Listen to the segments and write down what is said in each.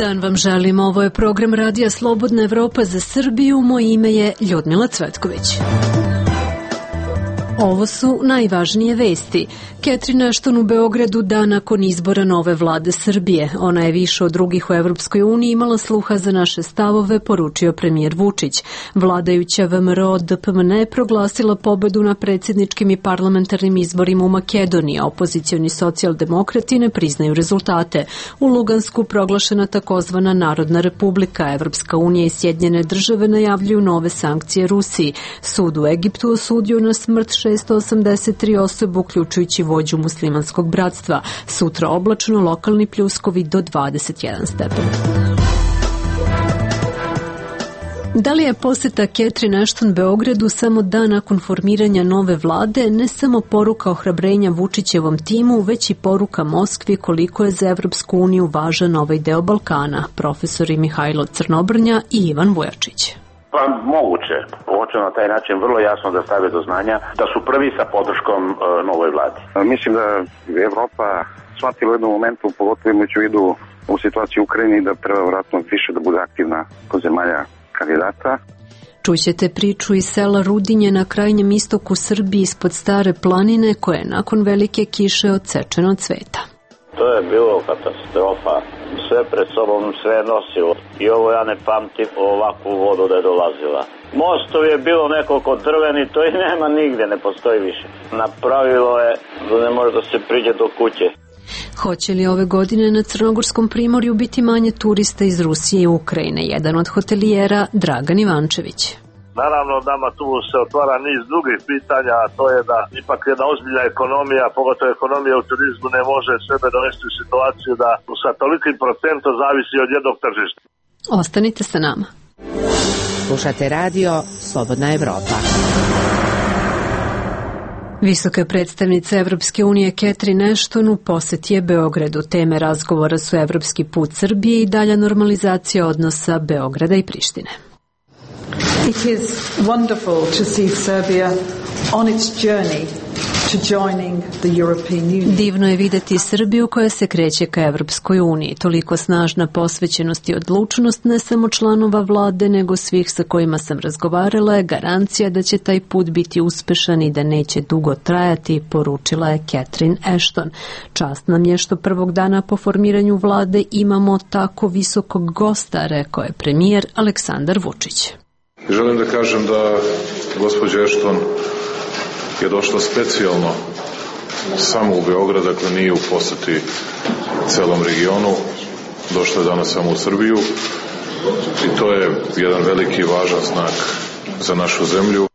dan vam želim. Ovo je program Radija Slobodna Evropa za Srbiju. Moje ime je Ljudmila Cvetković. Ovo su najvažnije vesti. Catherine Ashton u Beogradu dan nakon izbora nove vlade Srbije. Ona je više od drugih u Evropskoj uniji imala sluha za naše stavove, poručio premijer Vučić. Vladajuća VMRO DPMN je proglasila pobedu na predsjedničkim i parlamentarnim izborima u Makedoniji, a opozicioni socijaldemokrati ne priznaju rezultate. U Lugansku proglašena takozvana Narodna republika. Evropska unija i Sjedinjene države najavljuju nove sankcije Rusiji. Sud u Egiptu osudio na smrt 683 osobe, uključujući vođu muslimanskog bratstva. Sutra oblačno, lokalni pljuskovi do 21 stepen. Da li je posjeta Catherine Ashton Beogradu samo dan nakon formiranja nove vlade ne samo poruka ohrabrenja Vučićevom timu, već i poruka Moskvi koliko je za Evropsku uniju važan ovaj deo Balkana? Profesori Mihajlo Crnobrnja i Ivan Vujačić. Pa moguće. Hoće na taj način vrlo jasno da stave do znanja da su prvi sa podrškom novoj vladi. Mislim da je Evropa shvatila u jednom momentu, pogotovo imajući u vidu u situaciji u Ukrajini, da treba vratno više da bude aktivna kod zemalja kandidata. Čućete priču iz sela Rudinje na krajnjem istoku Srbije ispod Stare planine koje je nakon velike kiše odsečeno od cveta. To je bilo katastrofa. Sve pred sobom sve nosilo. I ovo ja ne pamtim ovakvu vodu da je dolazila. Mostov je bilo nekoliko drveni, to i nema nigde, ne postoji više. Napravilo je da ne može da se priđe do kuće. Hoće li ove godine na Crnogorskom primorju biti manje turista iz Rusije i Ukrajine? Jedan od hotelijera, Dragan Ivančević. Naravno, nama tu se otvara niz drugih pitanja, a to je da ipak jedna ozbiljna ekonomija, pogotovo ekonomija u turizmu, ne može sebe dovesti u situaciju da sa tolikim procentom zavisi od jednog tržišta. Ostanite sa nama. Slušate radio Slobodna Evropa. Visoka predstavnica Evropske unije Catherine Ashton u posjeti je Beogradu. Teme razgovora su evropski put Srbije i dalja normalizacija odnosa Beograda i Prištine. It is wonderful to see Serbia on its journey to joining the European Union. Divno je videti Srbiju koja se kreće ka Evropskoj uniji. Toliko snažna posvećenost i odlučnost ne samo članova vlade, nego svih sa kojima sam razgovarala je garancija da će taj put biti uspešan i da neće dugo trajati, poručila je Catherine Ashton. Čast nam je što prvog dana po formiranju vlade imamo tako visokog gosta, rekao je premijer Aleksandar Vučić. Želim da kažem da gospođa Ashton je došla specijalno samo u Beograd, dakle nije u poseti celom regionu, došla je danas samo u Srbiju i to je jedan veliki i važan znak za našu zemlju.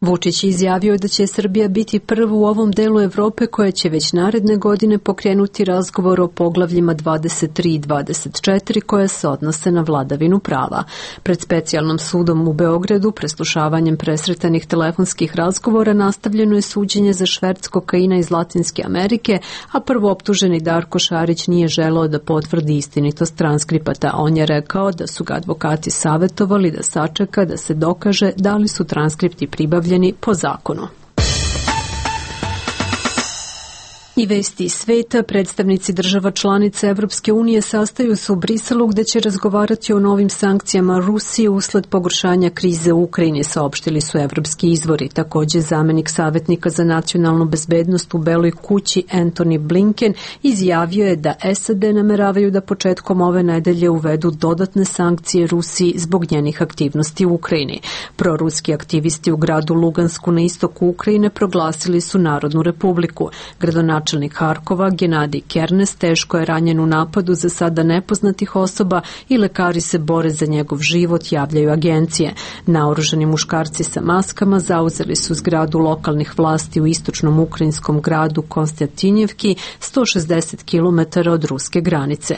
Vučić je izjavio da će Srbija biti prva u ovom delu Evrope koja će već naredne godine pokrenuti razgovor o poglavljima 23 i 24 koje se odnose na vladavinu prava. Pred specijalnom sudom u Beogradu preslušavanjem presretanih telefonskih razgovora nastavljeno je suđenje za šverc kokaina iz Latinske Amerike, a prvooptuženi Darko Šarić nije želeo da potvrdi istinitost transkripata. On je rekao da su ga advokati savjetovali da sačeka da se dokaže da li su transkripti pribavljeni po zakonu. I vesti iz sveta, predstavnici država članica Evropske unije sastaju se u Briselu gde će razgovarati o novim sankcijama Rusije usled pogoršanja krize u Ukrajini, saopštili su evropski izvori. Također zamenik savjetnika za nacionalnu bezbednost u Beloj kući Antony Blinken izjavio je da SAD nameravaju da početkom ove nedelje uvedu dodatne sankcije Rusiji zbog njenih aktivnosti u Ukrajini. Proruski aktivisti u gradu Lugansku na istoku Ukrajine proglasili su Narodnu republiku. Gradonačelnik Harkova, Genadij Kernes, teško je ranjen u napadu za sada nepoznatih osoba i lekari se bore za njegov život, javljaju agencije. Naoružani muškarci sa maskama zauzeli su zgradu lokalnih vlasti u istočnom ukrajinskom gradu Konstantinjevki, 160 km od ruske granice.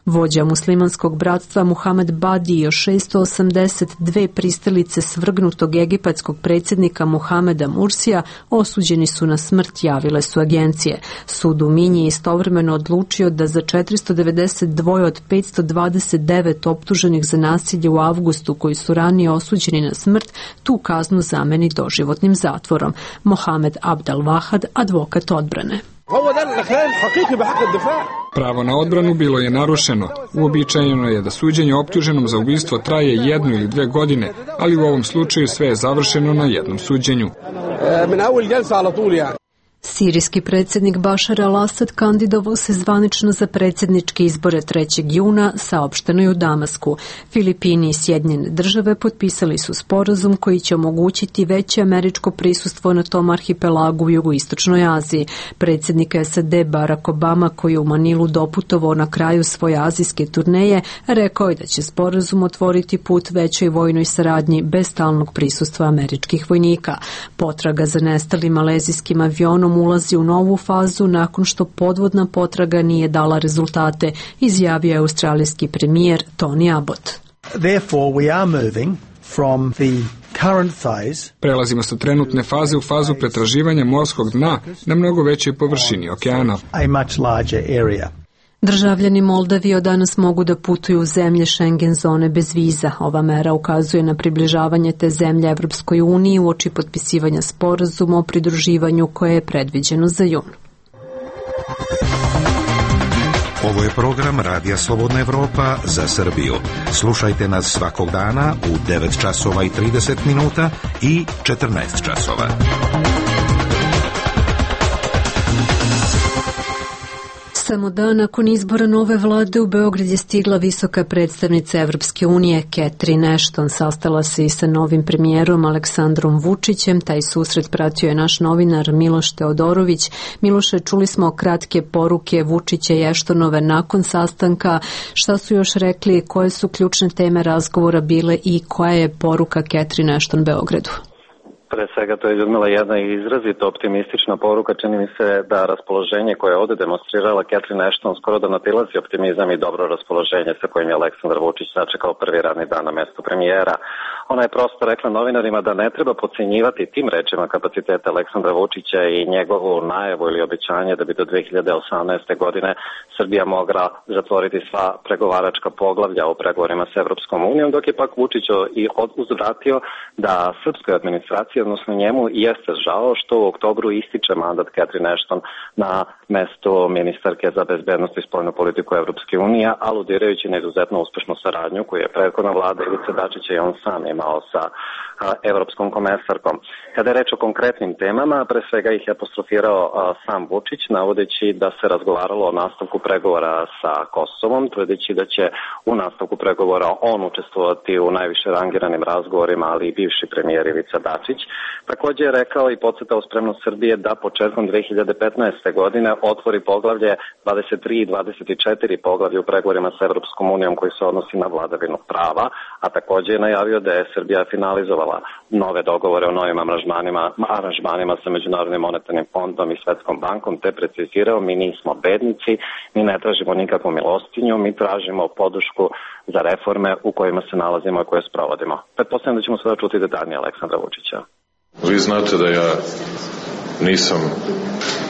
Vođa muslimanskog bratstva Muhamed Badi i još 682 pristalice svrgnutog egipatskog predsjednika Muhameda Mursija osuđeni su na smrt, javile su agencije. Sud u Minji je istovremeno odlučio da za 492 od 529 optuženih za nasilje u avgustu koji su ranije osuđeni na smrt tu kaznu zameni doživotnim zatvorom. Mohamed Abdel Vahad, advokat odbrane. Pravo na odbranu bilo je narušeno. Uobičajeno je da suđenje optuženom za ubistvo traje 1 ili 2 godine, ali u ovom slučaju sve je završeno na jednom suđenju. Sirijski predsjednik Bašar al-Asad kandidovao se zvanično za predsjedničke izbore 3. juna, saopšteno je u Damasku. Filipini i Sjedinjene države potpisali su sporazum koji će omogućiti veće američko prisustvo na tom arhipelagu u jugoistočnoj Aziji. Predsjednik SAD Barack Obama, koji je u Manilu doputovao na kraju svoje azijske turneje, rekao je da će sporazum otvoriti put većoj vojnoj saradnji bez stalnog prisustva američkih vojnika. Potraga za nestalim malezijskim avionom ulazi u novu fazu nakon što podvodna potraga nije dala rezultate, izjavio je australijski premijer Tony Abbott. Prelazimo sa trenutne faze u fazu pretraživanja morskog dna na mnogo većoj površini okeana. Državljani Moldavije od danas mogu da putuju u zemlje Schengen zone bez viza. Ova mera ukazuje na približavanje te zemlje Evropskoj uniji uoči potpisivanja sporazuma o pridruživanju koje je predviđeno za jun. Ovo je program Radija Slobodna Evropa za Srbiju. Slušajte nas svakog dana u 9 časova i 30 minuta i 14 časova. Samo dan nakon izbora nove vlade u Beograd je stigla visoka predstavnica Evropske unije Catherine Ashton. Sastala se i sa novim premijerom Aleksandrom Vučićem. Taj susret pratio je naš novinar Miloš Teodorović. Miloše, čuli smo kratke poruke Vučića i Ashtonove nakon sastanka. Šta su još rekli, koje su ključne teme razgovora bile i koja je poruka Catherine Ashton Beogradu? Pre svega to je, Ljudmila, jedna izrazito optimistična poruka. Čini mi se da raspoloženje koje je ovde demonstrirala Catherine Ashton skoro da nadilazi optimizam i dobro raspoloženje sa kojim je Aleksandar Vučić sačekao prvi radni dan na mestu premijera. Ona je prosto rekla novinarima da ne treba podcenjivati tim rečima kapacitete Aleksandra Vučića i njegovu najavu ili obećanje da bi do 2018. godine Srbija mogla zatvoriti sva pregovaračka poglavlja u pregovorima s Evropskom unijom, dok je pak Vučić i uzvratio da srpskoj administraciji, odnosno njemu, jeste žao što u oktobru ističe mandat Catherine Ashton na mesto ministarke za bezbednost i spoljnu politiku Evropske unije, aludirajući na izuzetno uspešnu saradnju koju je prethodna vlada Ivice Dačića i on sam imao sa evropskom komesarkom. Kada je reč o konkretnim temama, pre svega ih je apostrofirao sam Vučić, navodeći da se razgovaralo o nastavku pregovora sa Kosovom, tvrdeći da će u nastavku pregovora on učestvovati u najviše rangiranim razgovorima, ali i bivši premijer Ivica Dačić. Također je rekao i podcrtao spremnost Srbije da početkom 2015. godine otvori poglavlje 23 i 24 poglavlje u pregovorima sa Evropskom unijom koji se odnosi na vladavinu prava, a također je najavio da je Srbija finalizovala nove dogovore o novim aranžmanima sa Međunarodnim monetarnim fondom i Svetskom bankom, te precizirao: mi nismo bednici, mi ne tražimo nikakvu milostinju, mi tražimo podršku za reforme u kojima se nalazimo i koje sprovodimo. Pretpostavljam da ćemo sada čuti detaljnije Aleksandra Vučića. Vi znate da ja nisam,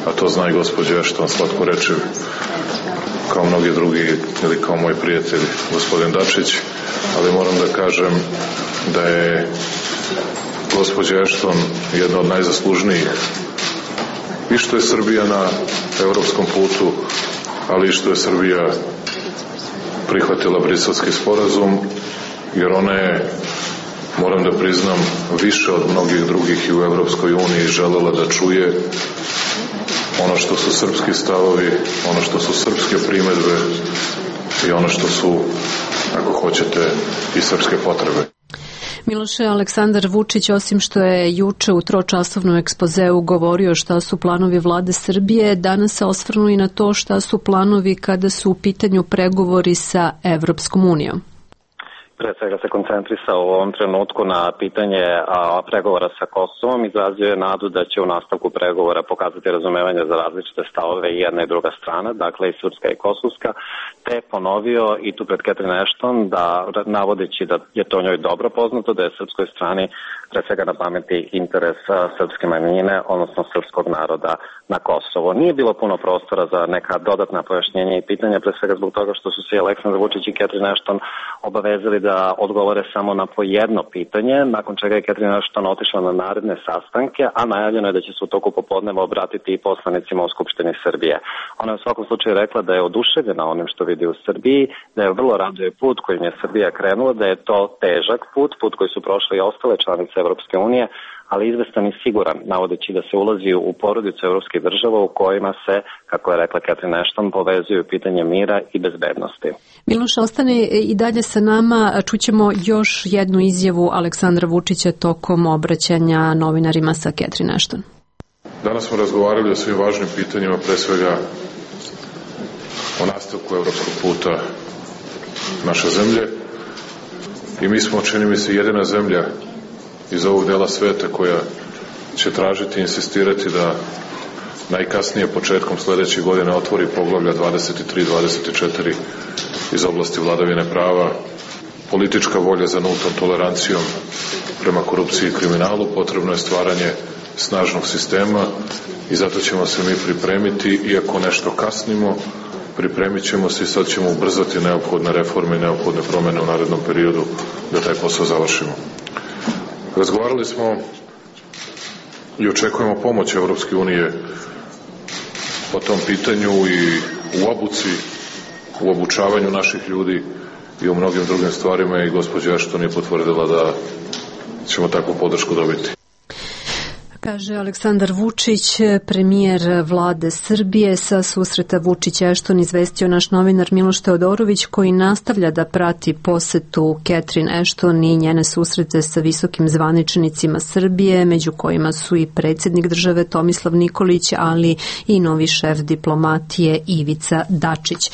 a to zna i gospođa Ashton, slatko reče, kao mnogi drugi ili kao moj prijatelj gospodin Dačić, ali moram da kažem da je gospođa Ashton jedna od najzaslužnijih i što je Srbija na evropskom putu, ali i što je Srbija prihvatila Briselski sporazum, jer ona je, moram da priznam, više od mnogih drugih i u Evropskoj uniji želela da čuje ono što su srpski stavovi, ono što su srpske primedbe i ono što su, ako hoćete, i srpske potrebe. Miloše, Aleksandar Vučić, osim što je juče u tročasovnom ekspozeu govorio šta su planovi vlade Srbije, danas se osvrnu i na to šta su planovi kada su u pitanju pregovori sa Evropskom unijom. Pre svega se koncentrisao u ovom trenutku na pitanje pregovora sa Kosovom, izrazio je nadu da će u nastavku pregovora pokazati razumevanje za različite stavove i jedna i druga strana, dakle i srpska i kosovska, te ponovio i tu pred Catherine Ashton da, navodeći da je to njoj dobro poznato, da je srpskoj strani pre svega na pameti interes srpske manjine, odnosno srpskog naroda na Kosovo. Nije bilo puno prostora za neka dodatna pojašnjenja i pitanja, pre svega zbog toga što su se Aleksandar Vučić i Catherine Ashton obavezali da da odgovore samo na po jedno pitanje, nakon čega je Catherine Ashton otišla na naredne sastanke, a najavljeno je da će se u toku popodneva obratiti i poslanicima u Skupštini Srbije. Ona je u svakom slučaju rekla da je oduševljena onim što vidi u Srbiji, da je vrlo raduje put kojim je Srbija krenula, da je to težak put koji su prošle i ostale članice Evropske unije, ali izvestan i siguran, navodeći da se ulazi u porodicu evropskih država u kojima se, kako je rekla Catherine Ashton, povezuju pitanje mira i bezbednosti. Miloš, ostane i dalje sa nama. Čućemo još jednu izjavu Aleksandra Vučića tokom obraćanja novinarima sa Catherine Ashton. Danas smo razgovarali o svim važnim pitanjima, pre svega o nastavku evropskog puta naše zemlje. I mi smo, čini mi se, jedina zemlja iz ovog dela sveta koja će tražiti i insistirati da najkasnije početkom sledeće godine otvori poglavlja 23-24 iz oblasti vladavine prava. Politička volja za nultom tolerancijom prema korupciji i kriminalu, potrebno je stvaranje snažnog sistema i zato ćemo se mi pripremiti, iako nešto kasnimo, pripremit ćemo se i sad ćemo ubrzati neophodne reforme i neophodne promene u narednom periodu da taj posao završimo. Razgovarali smo i očekujemo pomoć Evropske unije po tom pitanju i u obuci, u obučavanju naših ljudi i u mnogim drugim stvarima i gospođa Ashton je potvrdila da ćemo takvu podršku dobiti. Kaže Aleksandar Vučić, premijer vlade Srbije. Sa susreta Vučić-Ashton izvestio naš novinar Miloš Teodorović, koji nastavlja da prati posetu Catherine Ashton i njene susrete sa visokim zvaničnicima Srbije, među kojima su i predsjednik države Tomislav Nikolić, ali i novi šef diplomatije Ivica Dačić.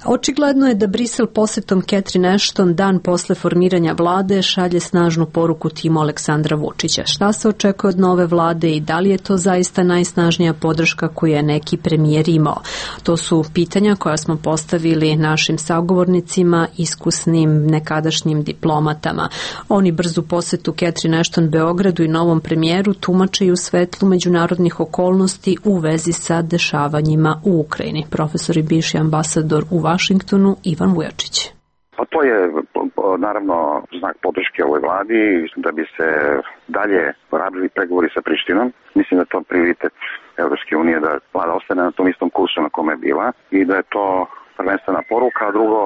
Očigledno je da Brisel posetom Catherine Ashton dan posle formiranja vlade šalje snažnu poruku timu Aleksandra Vučića. Šta se očekuje od nove vlade i da li je to zaista najsnažnija podrška koju je neki premijer imao? To su pitanja koja smo postavili našim sagovornicima, iskusnim nekadašnjim diplomatama. Oni brzu posetu Catherine Ashton Beogradu i novom premijeru tumače i u svetlu međunarodnih okolnosti u vezi sa dešavanjima u Ukrajini. Profesor i bivši ambasador u Vašingtonu Ivan Vujačić. Pa to je naravno znak podrške ovoj vladi da bi se dalje radili pregovori sa Prištinom. Mislim da je to prioritet Evropske unije, da vlada ostane na tom istom kursu na kome je bila i da je to prvenstvena poruka, a drugo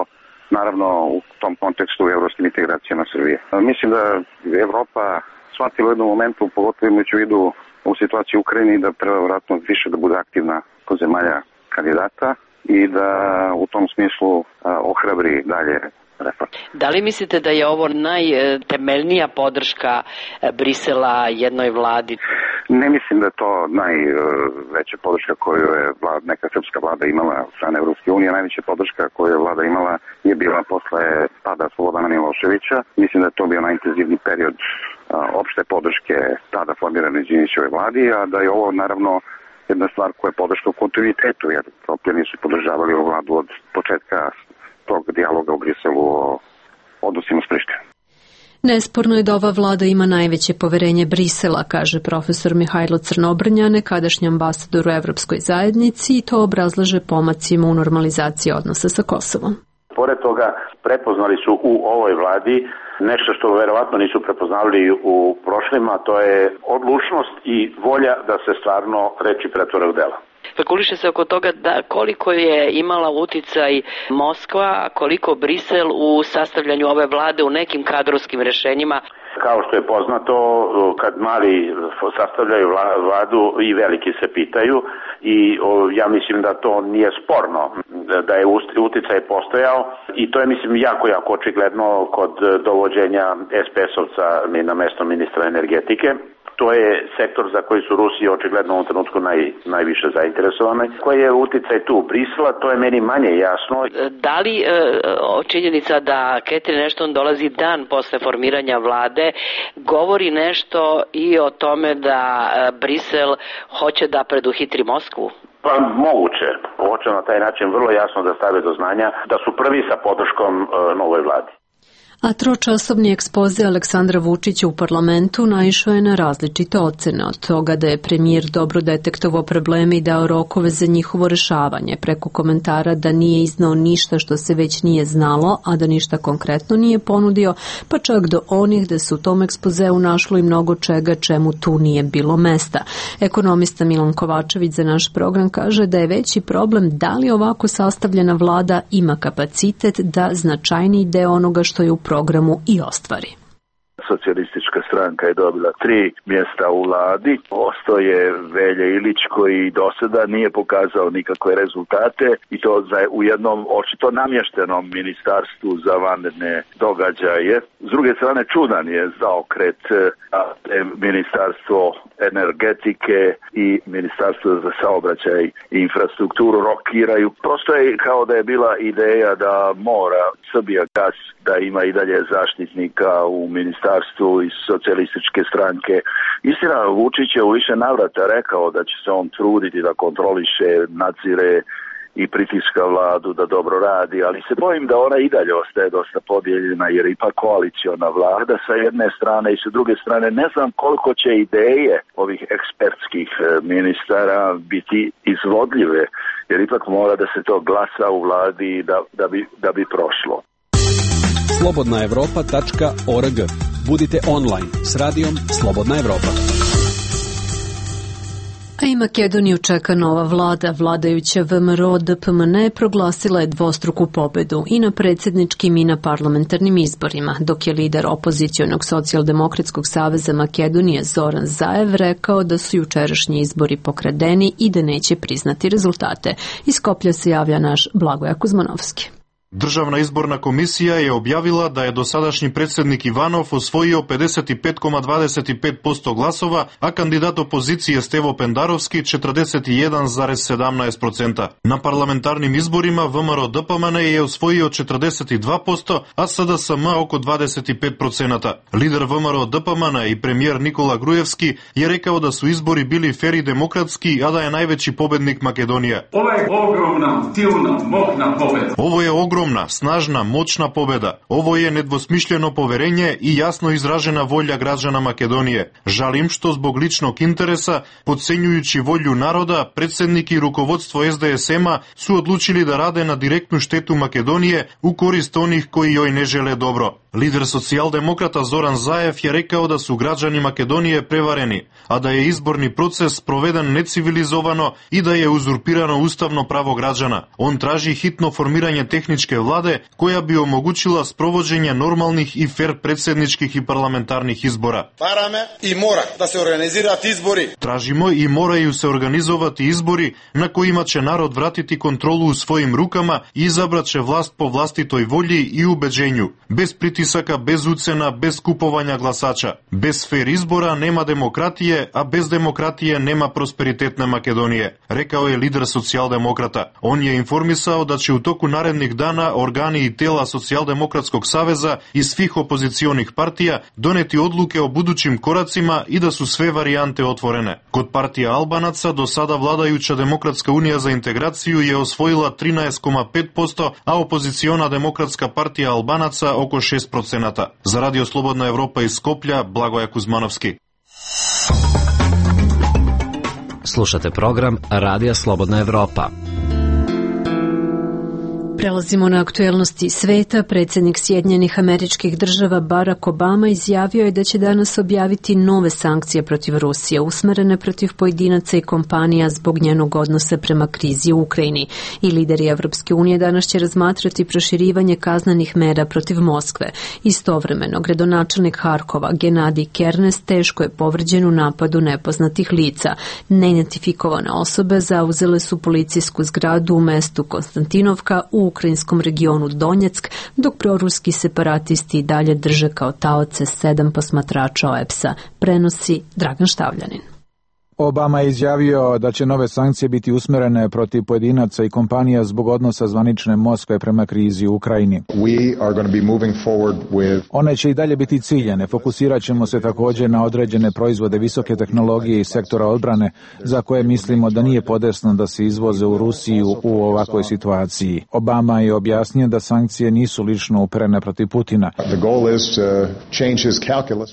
naravno u tom kontekstu evropskim integracijama Srbije. Mislim da Evropa shvatila u jednom momentu, pogotovo imajući u vidu u situaciji u Ukrajini, da treba vratno više da bude aktivna kod zemalja kandidata i da u tom smislu ohrabri dalje reforme. Da li mislite da je ovo najtemeljnija podrška Brisela jednoj vladi? Ne mislim da je to najveća podrška koju je neka srpska vlada imala od strane Evropske unije. Najveća podrška koju je vlada imala je bila posle pada Slobodana Miloševića. Mislim da je to bio najintenzivniji period opšte podrške tada formirane Đinđićeve vladi, a da je ovo naravno jedna stvar koja je podrška u kontinuitetu, jer Evropljani su podržavali ovu vladu od početka tog dijaloga u Briselu o odnosima s Prištinom. Nesporno je da ova vlada ima najveće poverenje Brisela, kaže profesor Mihajlo Crnobrnja, nekadašnji ambasador u Evropskoj zajednici, i to obrazlaže pomacima u normalizaciji odnosa sa Kosovom. Pored toga, prepoznali su u ovoj vladi nešto što verovatno nisu prepoznali u prošlima, to je odlučnost i volja da se stvarno reči pretvore u dela. Spekuliše se oko toga da koliko je imala uticaj Moskva, a koliko Brisel u sastavljanju ove vlade u nekim kadrovskim rešenjima. Kao što je poznato, kad mali sastavljaju vladu i veliki se pitaju i ja mislim da to nije sporno, da je uticaj postojao i to je mislim jako očigledno kod dovođenja SPS-ovca na mesto ministra energetike. To je sektor za koji su Rusi očigledno u ovom trenutku najviše zainteresovani. Koji je uticaj tu Brisela, to je meni manje jasno. Da li činjenica da Catherine Ashton dolazi dan posle formiranja vlade govori nešto i o tome da Brisel hoće da preduhitri Moskvu? Pa moguće. Hoće na taj način vrlo jasno da stave do znanja da su prvi sa podrškom novoj vladi. A tročasovni ekspoze Aleksandra Vučića u parlamentu naišao je na različite ocene, od toga da je premijer dobro detektovao probleme i dao rokove za njihovo rešavanje, preko komentara da nije iznao ništa što se već nije znalo, a da ništa konkretno nije ponudio, pa čak do onih da se u tom ekspozeu našlo i mnogo čega čemu tu nije bilo mesta. Ekonomista Milan Kovačević za naš program kaže da je veći problem da li ovako sastavljena vlada ima kapacitet da značajniji deo onoga što je u programu i ostvari. Socijalistička stranka je dobila 3 mjesta u vladi. Ostao je Velja Ilić koji do sada nije pokazao nikakve rezultate i to u jednom očito namještenom ministarstvu za vanredne događaje. S druge strane čudan je zaokret ministarstvo energetike i ministarstvo za saobraćaj i infrastrukturu rokiraju. Prosto je kao da je bila ideja da mora Srbijagas da ima i dalje zaštitnika u ministarstvu iz socijalističke stranke. Istina, Vučić je u više navrata rekao da će se on truditi da kontroliše, nadzire i pritiska vladu da dobro radi, ali se bojim da ona i dalje ostaje dosta podijeljena jer ipak koaliciona vlada sa jedne strane i sa druge strane ne znam koliko će ideje ovih ekspertskih ministara biti izvodljive jer ipak mora da se to glasa u vladi da bi prošlo. slobodnaevropa.org. Budite online s radijom Slobodna Evropa. A i Makedoniju čeka nova vlada. Vladajuća VMRO DPMNE proglasila je dvostruku pobedu i na predsjedničkim i na parlamentarnim izborima, dok je lider opozicionog socijaldemokratskog saveza Makedonije Zoran Zaev rekao da su jučerašnji izbori pokradeni i da neće priznati rezultate. Iz Skoplja se javlja naš Blagoja Kuzmanovski. Državna izborna komisija je objavila da je dosadašnji predsjednik Ivanov osvojio 55,25% glasova, a kandidat opozicije Stevo Pendarovski 41,17%. Na parlamentarnim izborima VMRO DPMNE je osvojio 42%, a SDSM oko 25%. Lider VMRO DPMNE i premijer Nikola Grujevski je rekao da su izbori bili fer i demokratski, a da je najveći pobednik Makedonija. Ovo je ogromna, silna, moćna pobeda. Ovo je ogromna, snažna, moćna pobeda. Ovo je nedvosmišljeno poverenje i jasno izražena volja građana Makedonije. Žalim što zbog ličnog interesa, podcenjujući volju naroda, predsjednik i rukovodstvo SDSM-a su odlučili da rade na direktnu štetu Makedonije u korist onih koji joj ne žele dobro. Lider socijaldemokrata Zoran Zaev je rekao da su građani Makedonije prevareni, a da je izborni proces proveden necivilizovano i da je uzurpirano ustavno pravo građana. On traži hitno formiranje tehničke vlade koja bi omogućila sprovođenje normalnih i fer predsjedničkih i parlamentarnih izbora. I mora da se organizirati izbori. Tražimo i moraju se organizovati izbori na kojima će narod vratiti kontrolu u svojim rukama i izabrat će vlast po vlastitoj volji i ubeđenju. Bez pritisaka, bez ucena, bez kupovanja glasača. Bez fer izbora nema demokratije, a bez demokratije nema prosperitetne Makedonije, rekao je lider socijaldemokrata. On je informisao da će u toku narednih dana organi i tela Socijaldemokratskog saveza i svih opozicionih partija doneti odluke o budućim koracima i da su sve varijante otvorene. Kod partija Albanaca do sada vladajuća Demokratska unija za integraciju je osvojila 13,5%, a opoziciona Demokratska partija Albanaca oko 6%. Za Radio Slobodna Evropa iz Skoplja, Blagoja Kuzmanovski. Slušate program Radija Slobodna Evropa. Prelazimo na aktuelnosti sveta. Predsjednik Sjedinjenih Američkih Država Barack Obama izjavio je da će danas objaviti nove sankcije protiv Rusije, usmerene protiv pojedinaca i kompanija zbog njenog odnosa prema krizi u Ukrajini. I lideri Evropske unije danas će razmatrati proširivanje kaznenih mera protiv Moskve. Istovremeno, gradonačelnik Harkova Genadij Kernes teško je povređen u napadu nepoznatih lica. Neidentifikovane osobe zauzele su policijsku zgradu u mestu Konstantinovka u ukrajinskom regionu Donjeck, dok proruski separatisti i dalje drže kao taoce 7 posmatrača OEBS-a, prenosi Dragan Štavljanin. Obama je izjavio da će nove sankcije biti usmerene protiv pojedinaca i kompanija zbog odnosa zvanične Moskve prema krizi u Ukrajini. One će i dalje biti ciljane. Fokusirat ćemo se također na određene proizvode visoke tehnologije i sektora odbrane za koje mislimo da nije podesno da se izvoze u Rusiju u ovakvoj situaciji. Obama je objasnio da sankcije nisu lično uperene protiv Putina.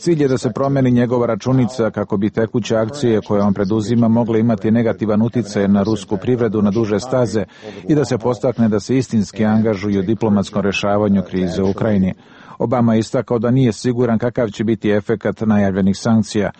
Cilj je da se promeni njegova računica kako bi tekuće akcije koje on preduzima mogle imati negativan uticaj na rusku privredu na duže staze i da se postakne da se istinski angažuju u diplomatskom rešavanju krize u Ukrajini. Obama je istakao da nije siguran kakav će biti efekat najavljenih sankcija.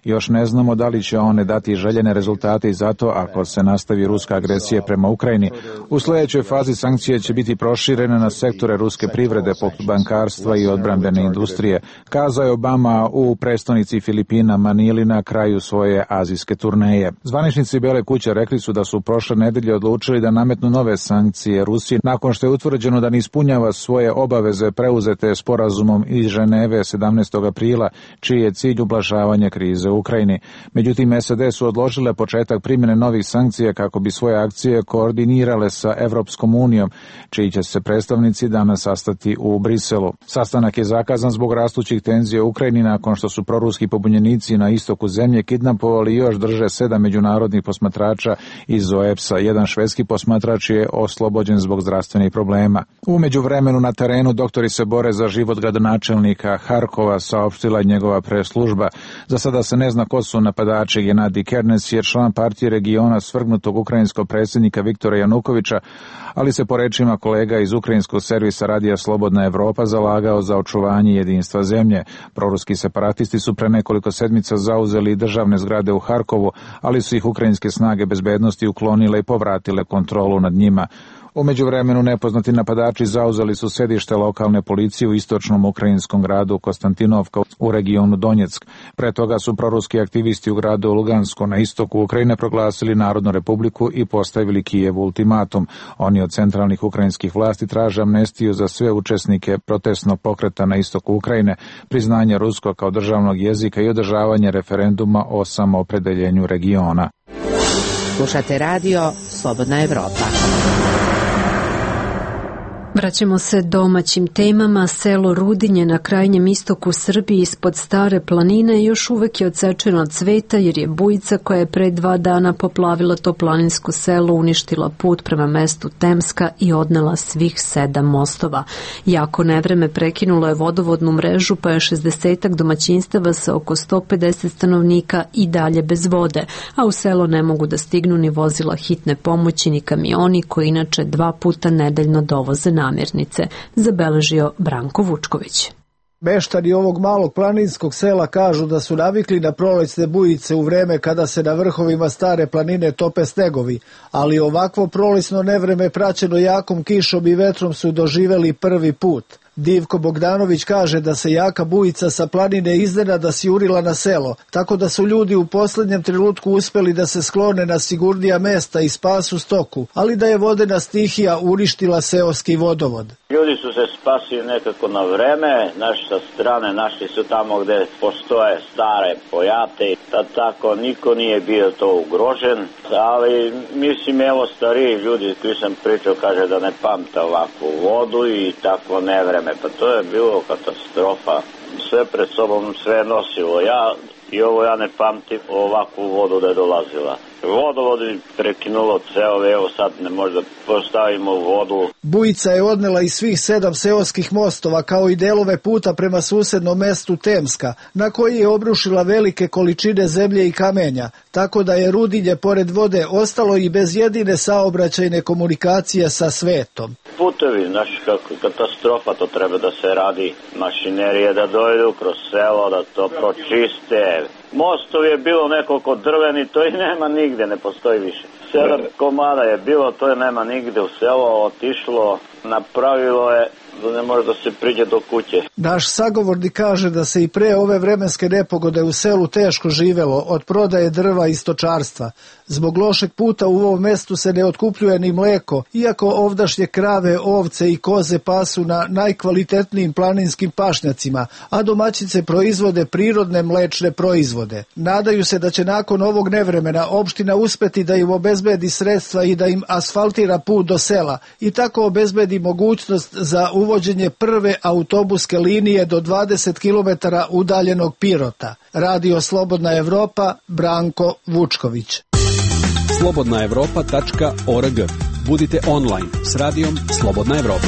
Još ne znamo da li će one dati željene rezultate i zato ako se nastavi ruska agresija prema Ukrajini. U sljedećoj fazi sankcije će biti proširene na sektore ruske privrede poput bankarstva i odbrambene industrije, kazao je Obama u prestonici Filipina Manili na kraju svoje azijske turneje. Zvaničnici Bele kuće rekli su da su prošle nedelje odlučili da nametnu nove sankcije Rusiji nakon što je utvrđeno da ne ispunjava svoje obaveze preuzete sporazumom iz Ženeve 17. aprila, čiji je cilj ublažavanje krize u Ukrajini. Međutim, SAD su odložile početak primjene novih sankcija kako bi svoje akcije koordinirale sa Evropskom unijom, čiji će se predstavnici danas sastati u Briselu. Sastanak je zakazan zbog rastućih tenzija u Ukrajini nakon što su proruski pobunjenici na istoku zemlje kidnapovali i još drže 7 međunarodnih posmatrača iz OEPS-a. Jedan švedski posmatrač je oslobođen zbog zdravstvenih problema. U međuvremenu na terenu doktori se bore za život gradonačelnika Harkova, saopštila njegova preslužba. Za sada se ne zna ko su napadači. Genadij Kernes je član partije regiona svrgnutog ukrajinskog predsjednika Viktora Janukovića, ali se po rečima kolega iz ukrajinskog servisa Radija Slobodna Evropa zalagao za očuvanje jedinstva zemlje. Proruski separatisti su pre nekoliko sedmica zauzeli državne zgrade u Harkovu, ali su ih ukrajinske snage bezbednosti uklonile i povratile kontrolu nad njima. U međuvremenu nepoznati napadači zauzeli su sedište lokalne policije u istočnom ukrajinskom gradu Konstantinovka u regionu Donjeck. Pre toga su proruski aktivisti u gradu Lugansko na istoku Ukrajine proglasili Narodnu republiku i postavili Kijevu ultimatum. Oni od centralnih ukrajinskih vlasti traže amnestiju za sve učesnike protestnog pokreta na istoku Ukrajine, priznanje ruskog kao državnog jezika i održavanje referenduma o samoopredeljenju regiona. Slušate radio Slobodna Evropa. Vraćamo se domaćim temama. Selo Rudinje na krajnjem istoku Srbije ispod Stare planine još uvek je odsečeno od cveta jer je bujica koja je pre 2 dana poplavila to planinsko selo uništila put prema mestu Temska i odnela svih 7 mostova. Jako nevreme prekinulo je vodovodnu mrežu pa je 60 domaćinstava sa oko 150 stanovnika i dalje bez vode, a u selo ne mogu da stignu ni vozila hitne pomoći ni kamioni koji inače 2 puta nedeljno dovoze namirnice, zabeležio Branko Vučković. Meštani ovog malog planinskog sela kažu da su navikli na prolećne bujice u vreme kada se na vrhovima Stare planine tope snegovi, ali ovakvo prolećno nevreme praćeno jakom kišom i vetrom su doživeli prvi put. Divko Bogdanović kaže da se jaka bujica sa planine iznenada sjurila na selo, tako da su ljudi u posljednjem trenutku uspeli da se sklone na sigurnija mesta i spasu stoku, ali da je vodena stihija uništila seoski vodovod. Ljudi su se spasili nekako na vreme, naši sa strane našli su tamo gde postoje stare pojate, tako niko nije bio to ugrožen, ali mislim evo stariji ljudi koji sam pričao kaže da ne pamte ovakvu vodu i takvo nevreme. Pa to je bilo katastrofa. Sve pred sobom sve nosilo. Ja ne pamtim ovakvu vodu da je dolazila. Vodovod je prekinulo ceo, evo sad ne možda postavimo vodu. Bujica je odnela i svih 7 seoskih mostova kao i delove puta prema susednom mestu Temska, na koji je obrušila velike količine zemlje i kamenja, tako da je Rudinje pored vode ostalo i bez jedine saobraćajne komunikacije sa svetom. Putevi, znaš kako katastrofa, to treba da se radi, mašinerije da dojdu kroz selo, da to pročiste. Mostov je bilo nekoliko drveni, to i nema nigde, ne postoji više. 7 komada je bilo, to je nema nigde u selo, otišlo, napravilo je da ne može da se priđe do kuće. Naš sagovornik kaže da se i pre ove vremenske nepogode u selu teško živelo od prodaje drva i stočarstva. Zbog lošeg puta u ovom mestu se ne otkupljuje ni mleko, iako ovdašnje krave, ovce i koze pasu na najkvalitetnijim planinskim pašnjacima, a domaćice proizvode prirodne mlečne proizvode. Nadaju se da će nakon ovog nevremena opština uspeti da im obezbedi sredstva i da im asfaltira put do sela i tako obezbedi mogućnost za uvođenje prve autobuske linije do 20 km udaljenog Pirota. Radio Slobodna Evropa, Branko Vučković. slobodnaevropa.org. Budite online s radijom Slobodna Evropa.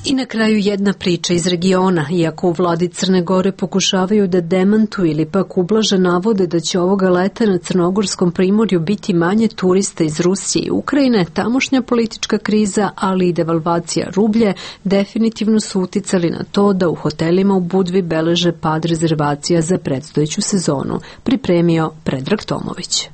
I na kraju jedna priča iz regiona. Iako u vladi Crne Gore pokušavaju da demantuju ili pak ublaže navode da će ovoga leta na Crnogorskom primorju biti manje turista iz Rusije i Ukrajine, tamošnja politička kriza, ali i devalvacija rublje definitivno su uticali na to da u hotelima u Budvi beleže pad rezervacija za predstojeću sezonu. Pripremio Predrag Tomović.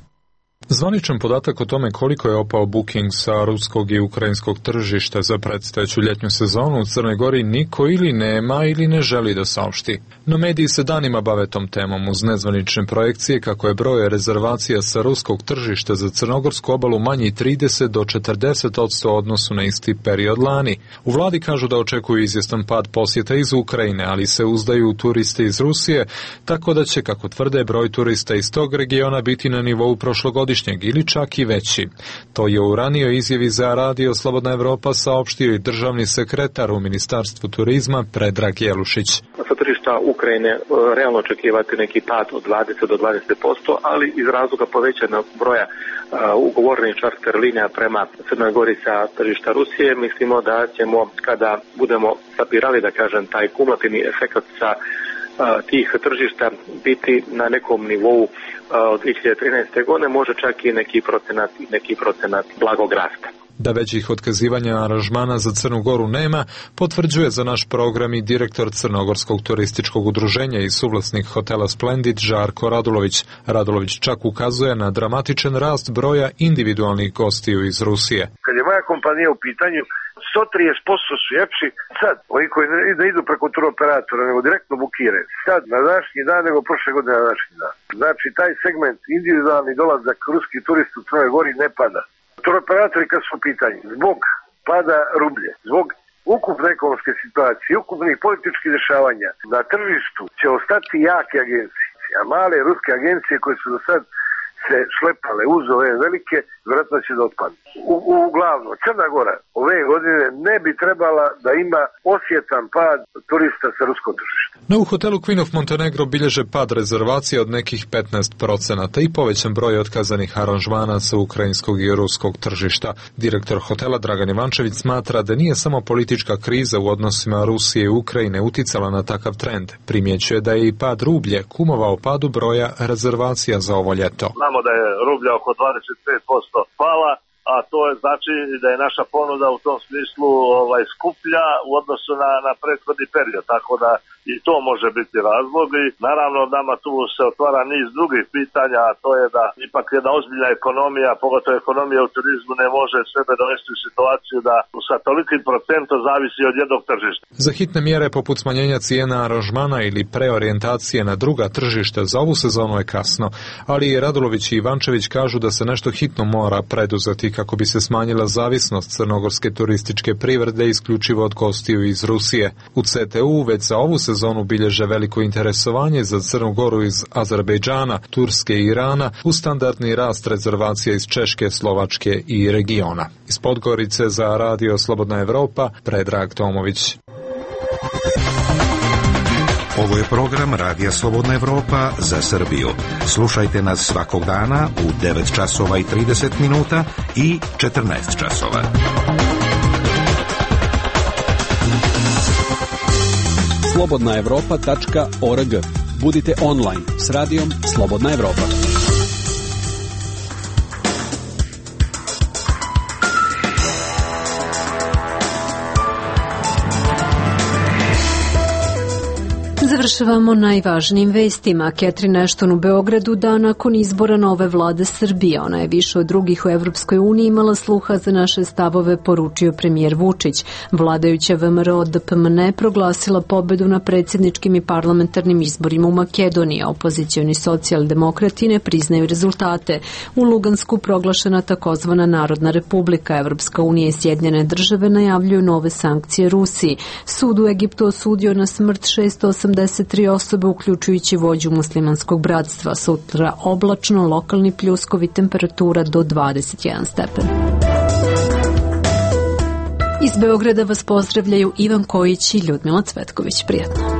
Zvaničan podatak o tome koliko je opao booking sa ruskog i ukrajinskog tržišta za predstojeću ljetnju sezonu u Crnoj Gori niko ili nema ili ne želi da saopšti. No mediji se danima bave tom temom uz nezvanične projekcije kako je broj rezervacija sa ruskog tržišta za crnogorsku obalu manji 30 do 40% u odnosu na isti period lani. U vladi kažu da očekuju izvjestan pad posjeta iz Ukrajine, ali se uzdaju u turiste iz Rusije, tako da će, kako tvrde, broj turista iz tog regiona biti na nivou prošlogodišnjeg ili čak i veći. To je u ranijoj izjavi za Radio Slobodna Evropa saopštio i državni sekretar u Ministarstvu turizma Predrag Jelušić. Sa tržišta Ukrajine realno očekivati neki pad od 20 do 20%, ali iz razloga povećanog broja ugovorenih čarter linija prema Crnoj Gori sa tržišta Rusije, mislimo da ćemo, kada budemo sapirali, da kažem, taj kumulativni efekt sa tih tržišta biti na nekom nivou od 2013. godine, može čak i neki procenat blagog rasta. Da većih otkazivanja aranžmana za Crnu Goru nema, potvrđuje za naš program i direktor Crnogorskog turističkog udruženja i suvlasnik hotela Splendid Žarko Radulović. Radulović čak ukazuje na dramatičan rast broja individualnih gostiju iz Rusije. Kad je moja kompanija u pitanju, 130% su jepši sad, ovi koji ne idu preko turoperatora, nego direktno bukiraju. Sad, na današnji dan, nego prošle godine na današnji dan. Znači, taj segment individualni dolazak ruskih turista u Crnoj Gori ne pada. Turoperatori kad su u pitanju, zbog pada rublje, zbog ukupne ekonomske situacije, ukupnih političkih dešavanja, na tržištu će ostati jake agencije, a male ruske agencije koje su do sad se šlepale uz ove velike, vjerojatno će da otpadne. Uglavnom, Crna Gora ove godine ne bi trebala da ima osjetan pad turista sa ruskog tržišta. No u hotelu Queen of Montenegro bilježe pad rezervacija od nekih 15% i povećan broj otkazanih aranžmana sa ukrajinskog i ruskog tržišta. Direktor hotela Dragan Ivančević smatra da nije samo politička kriza u odnosima Rusije i Ukrajine uticala na takav trend. Primjećuje da je i pad rublje kumovao padu broja rezervacija za ovo ljeto. Znamo da je rublja oko 25% pala, a to je znači da je naša ponuda u tom smislu skuplja u odnosu na prethodni period, tako da i to može biti razlog i naravno nama tu se otvara niz drugih pitanja, a to je da ipak jedna ozbiljna ekonomija, pogotovo ekonomija u turizmu, ne može sebe dovesti u situaciju da sa tolikim procentom zavisi od jednog tržišta. Za hitne mjere poput smanjenja cijena aranžmana ili preorijentacije na druga tržišta za ovu sezonu je kasno, ali i Radulović i Ivančević kažu da se nešto hitno mora preduzeti kako bi se smanjila zavisnost crnogorske turističke privrede isključivo od gostiju iz Rusije. U CTU već za ovu sezonu bilježe veliko interesovanje za Crnu Goru iz Azerbejdžana, Turske i Irana uz standardni rast rezervacija iz Češke, Slovačke i regiona. Iz Podgorice za Radio Slobodna Evropa, Predrag Tomović. Ovo je program Radija Slobodna Evropa za Srbiju. Slušajte nas svakog dana u 9 časova i 30 minuta i 14 časova. slobodnaevropa.org. Budite online s radijom Slobodna Evropa. Završavamo najvažnijim vestima. Catherine Ashton u Beogradu dan nakon izbora nove vlade Srbije. Ona je više od drugih u Evropskoj uniji imala sluha za naše stavove, poručio premijer Vučić. Vladajuća VMRO DPMNE proglasila pobedu na predsjedničkim i parlamentarnim izborima u Makedoniji. Opozicioni socijaldemokrati ne priznaju rezultate. U Lugansku proglašena takozvana Narodna republika. Evropska unija i Sjedinjene države najavljuju nove sankcije Rusiji. Sud u Egiptu osudio na smrt 683 osobe, uključujući vođu muslimanskog bratstva. Sutra oblačno, lokalni pljuskovi, temperatura do 21 stepen. Iz Beograda vas pozdravljaju Ivan Kojić i Ljudmila Cvetković. Prijatno.